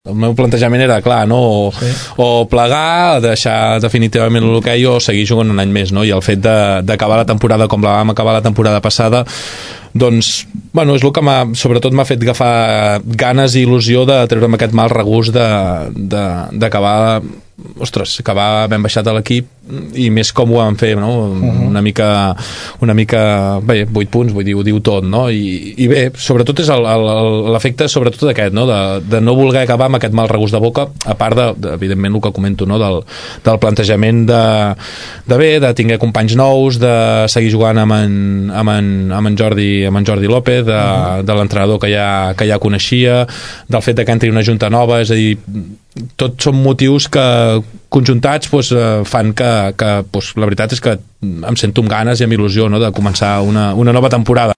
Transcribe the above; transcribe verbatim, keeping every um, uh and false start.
el meu plantejament era clar, no? O, sí. o plegar, deixar definitivament l'hoquei o seguir jugant un any més, no? I el fet d'acabar la temporada com la vam acabar la temporada passada, doncs, bueno, és el que m'ha, sobretot m'ha fet agafar ganes i il·lusió de treure'm aquest mal regust d'acabar, ostres, acabar ben baixat a l'equip i més com ho vam fer, no? Uh-huh. Una mica, una mica, bé, vuit punts, vull dir, ho diu tot, no? I, i bé, sobretot és l'efecte sobretot d'aquest, no? De, de no voler acabar amb aquest mal regust de boca, a part de, de evidentment, el que comento, no? Del, del plantejament de, de bé, de tinguer companys nous, de seguir jugant amb en, amb en, amb en Jordi amb en Jordi López, de, uh-huh. de l'entrenador que ja, que ja coneixia, del fet de que entri una junta nova, és a dir, tots són motius que conjuntats doncs, fan que, que doncs, la veritat és que em sento amb ganes i amb il·lusió, no?, de començar una, una nova temporada.